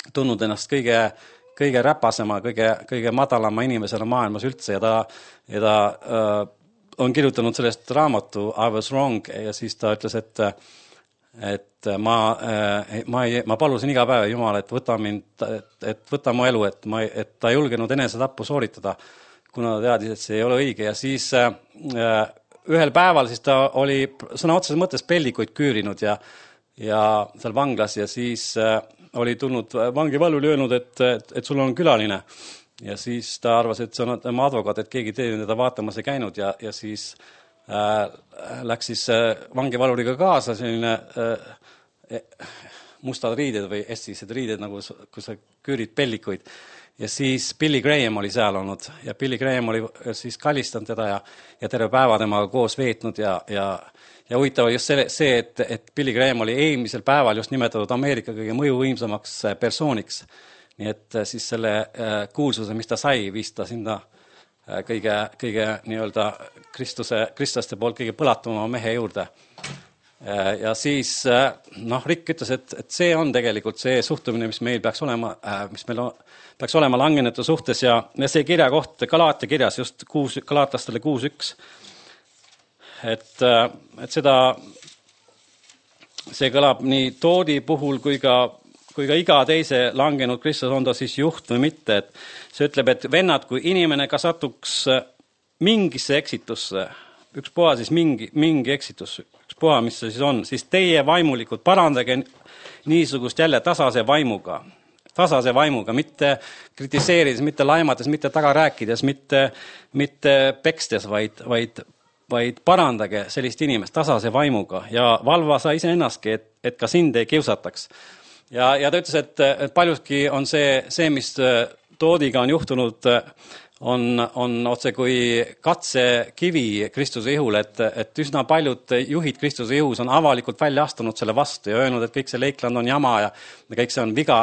tundnud ennast kõige kõige räpasema, kõige, kõige madalama inimesena maailmas üldse ja ta, ja ta äh, on kirjutanud sellest raamatu I was wrong ja siis ta ütles, et, et ma, äh, ma, ei, ma palusin iga päev Jumal, et võta mind, et, et võta mu elu, et, ma, et ta ei julgenud enesetappu sooritada, kuna ta teadis, et see ei ole õige ja siis äh, ühel päeval siis ta oli sõna otseses mõttes peldikuid küürinud ja, ja seal vanglas ja siis äh, oli tulnud vangivalvuri öelnud, et, et, et sul on külaline. Ja siis ta arvas, et see on tema advokaat, et keegi teine teda vaatamas ei käinud ja, ja siis äh, läks siis äh, vangivalvuriga kaasa selline äh, mustad riided või estised riided, nagu kui sa küürid pellikuid. Ja siis Billy Graham oli seal olnud ja Billy Graham oli siis kallistanud teda ja, ja terve päeva temaga koos veetnud ja, ja Ja huvitav just see, see et, et Billy Graham oli eelmisel päeval just nimetatud Ameerika kõige mõjuvõimsamaks persooniks. Nii et siis selle kuulsuse, mis ta sai, viis ta sinna kõige, kõige nii-öelda Kristuse, kristlaste poolt kõige põlatuma mehe juurde. Ja siis noh, Rick ütles, et, et see on tegelikult see suhtumine, mis meil peaks olema, mis meil on, peaks olema langenete suhtes ja, ja see kirja koht Galaatia kirjas just kuus, Galaatlastele kuus üks. Et, et seda, see kõlab nii Toodi puhul kui ka, kui ka iga teise langenud Kristus, on ta siis juht või mitte, et see ütleb, et vennad, kui inimene ka satuks mingisse eksitusse, üks puha siis mingi, mingi eksitus, üks puha, mis see siis on, siis teie vaimulikud parandage niisugust jälle tasase vaimuga, tasase vaimuga, mitte kritiseerides, mitte laimates, mitte taga rääkides, mitte, mitte pekstes, vaid, vaid vaid parandage sellist inimest tasase vaimuga ja valva sa ise ennastki, et, et ka sind ei kiusataks. Ja, ja ta ütles, et, et paljuski on see, see, mis Toodiga on juhtunud, on, on otse kui katsekivi Kristuse ihul, et, et üsna paljud juhid Kristuse ihus on avalikult välja astunud selle vastu ja öelnud, et kõik see Leikland on jama ja kõik see on viga,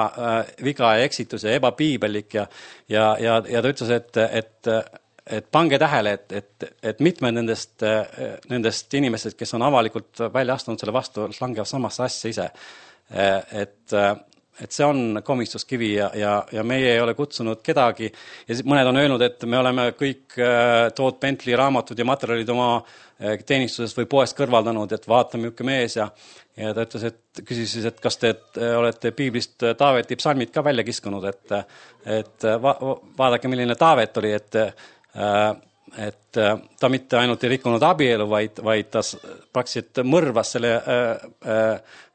viga ja eksitus ja ebapiibelik ja, ja, ja, ja ta ütles, et, et et pange tähele, et, et, et mitmed nendest, nendest inimestest, kes on avalikult välja astunud selle vastu, langevad samasse asja ise. Et, et see on komistuskivi ja, ja, ja meie ei ole kutsunud kedagi. Ja mõned on öelnud, et me oleme kõik Todd Bentley raamatud ja materjalid oma teenistusest või poest kõrvaldanud, et vaatame ükke mees ja, ja ta ütles, et küsis siis, et kas te et olete piiblist Taaveti psalmid ka välja kiskunud, et, et va, vaadake, milline Taavet oli, et et ta mitte ainult ei rikkunud abielu, vaid, vaid ta praktiliselt mõrvas selle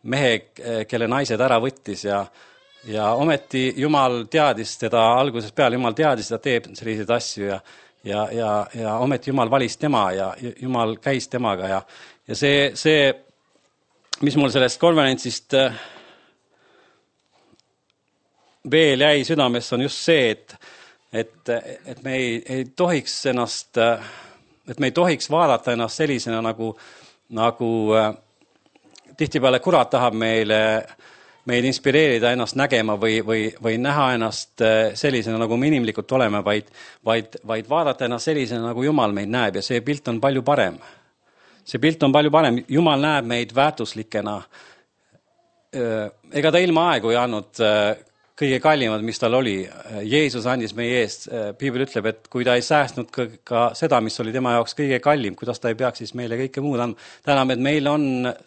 mehe, kelle naised ära võttis ja, ja ometi Jumal teadis teda algusest peale, Jumal teadis, ta teeb selliseid asju ja, ja, ja, ja ometi Jumal valis tema ja Jumal käis temaga ja, ja see, see, mis mul sellest konverentsist veel jäi südamesse, on just see, et et, et me ei, ei tohiks ennast, et me ei tohiks vaadata ennast sellisena, nagu, nagu tihtipeale kurat tahab meile, meid inspireerida ennast nägema või, või, või näha ennast sellisena, nagu me inimlikult oleme, vaid, vaid, vaid vaadata ennast sellisena, nagu Jumal meid näeb ja see pilt on palju parem. See pilt on palju parem. Jumal näeb meid väärtuslikena. Ega ta ilma aegu ei andnud kõige kallimad, mis tal oli. Jeesus andis meie eest. Piibel ütleb, et kui ta ei säästnud ka, ka seda, mis oli tema jaoks kõige kallim, kuidas ta ei peaks siis meile kõike muud andma. Täname, et meil on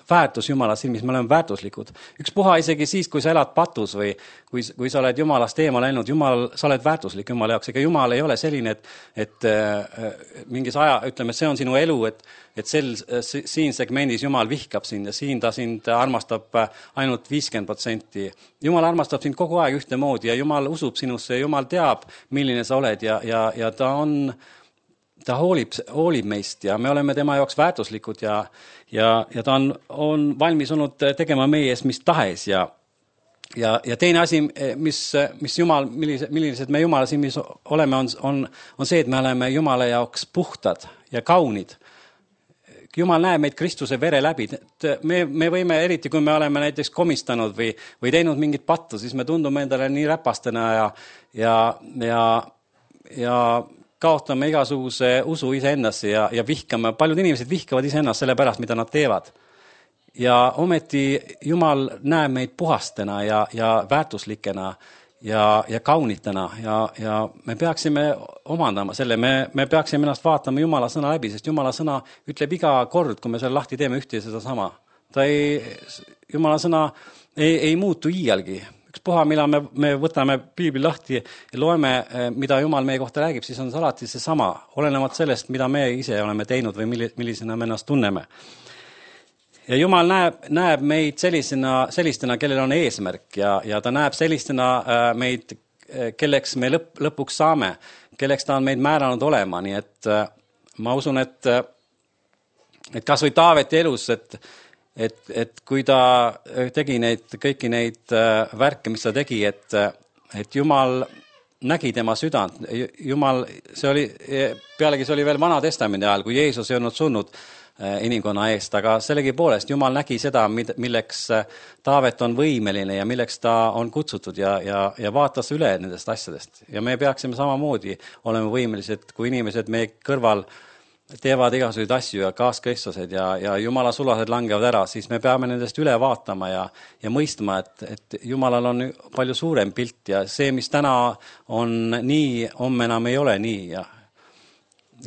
väärtus Jumala silmis, me oleme väärtuslikud. Üks puha isegi siis, kui sa elad patus või kui, kui sa oled Jumalast eemal läinud, Jumal, sa oled väärtuslik Jumala jaoks. Ega Jumal ei ole selline, et, et äh, mingis aja, ütleme, see on sinu elu, et, et sel, siin segmendis Jumal vihkab sind ja siin ta sind armastab ainult viiskümmend protsenti. Jumal armastab sind kogu aeg ühtemoodi ja Jumal usub sinusse ja Jumal teab, milline sa oled ja, ja, ja ta on, ta hoolib, hoolib meist ja me oleme tema jaoks väärtuslikud ja, ja, ja ta on, on valmis olnud tegema meie eest mis tahes ja, ja, ja teine asi, mis, mis Jumal, millised, millised me Jumala silmis oleme, on, on, on see, et me oleme Jumala jaoks puhtad ja kaunid. Jumal näeb meid Kristuse vere läbi. Me, me võime, eriti kui me oleme näiteks komistanud või, või teinud mingit pattu, siis me tundume endale nii räpastena ja, ja, ja, ja kaotame igasuguse usu iseendasse ja, ja vihkame. Paljud inimesed vihkavad iseennast selle pärast, mida nad teevad. Ja ometi Jumal näeb meid puhastena ja, ja väärtuslikena ja, ja kaunitena ja, ja me peaksime omandama selle, me, me peaksime ennast vaatama Jumala sõna läbi, sest Jumala sõna ütleb iga kord, kui me selle lahti teeme ühte ja seda sama. Ta ei, Jumala sõna ei, ei muutu iialgi. Üks puha, mille me, me võtame piibli lahti ja loeme, mida Jumal meie kohta räägib, siis on see alati see sama, olenemata sellest, mida me ise oleme teinud või millisena me ennast tunneme. Ja Jumal näeb, näeb meid sellisena, sellistena, kellel on eesmärk ja, ja ta näeb sellistena meid, kelleks me lõp, lõpuks saame, kelleks ta on meid määranud olema. Nii et ma usun, et, et kas või Taaveti elus, et, et, et kui ta tegi neid, kõiki neid värke, mis ta tegi, et, et Jumal nägi tema südant. Jumal, see oli, pealegi see oli veel Vana Testamendi ajal, kui Jeesus ei olnud surnud inimkonna eest, aga sellegi poolest Jumal nägi seda, milleks Taavet on võimeline ja milleks ta on kutsutud ja, ja, ja vaatas üle nendest asjadest. Ja me peaksime samamoodi olema võimelised, kui inimesed meie kõrval teevad igasuguseid asju ja kaaskristused ja, ja Jumala sulased langevad ära, siis me peame nendest üle vaatama ja, ja mõistma, et, et Jumalal on palju suurem pilt ja see, mis täna on nii, homme enam ei ole nii. Ja,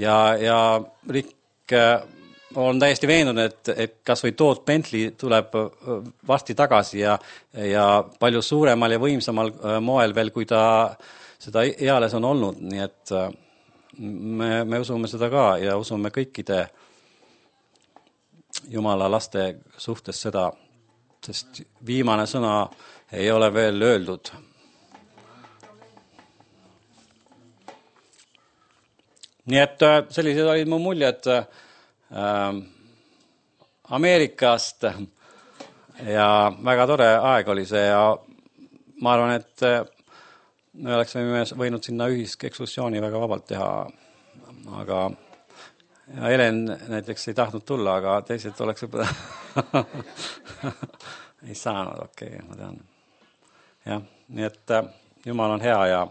ja, ja Rick on täiesti veendunud, et, et kas või Todd Bentley tuleb varsti tagasi ja, ja palju suuremal ja võimsamal moel veel, kui ta seda eales on olnud. Nii et me, me usume seda ka ja usume kõikide Jumala laste suhtes seda, sest viimane sõna ei ole veel öeldud. Nii et sellised olid mu muljed Ameerikast ja väga tore aeg oli see ja ma arvan, et me oleksime võinud sinna ühiskekskursiooni väga vabalt teha, aga ja Helen näiteks ei tahtnud tulla, aga teised oleks ei saanud, okei, okay, ma tean. Jah, nii et Jumal on hea ja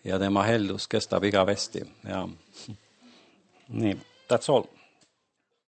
ja tema heldus kestab igavesti ja nii, that's all.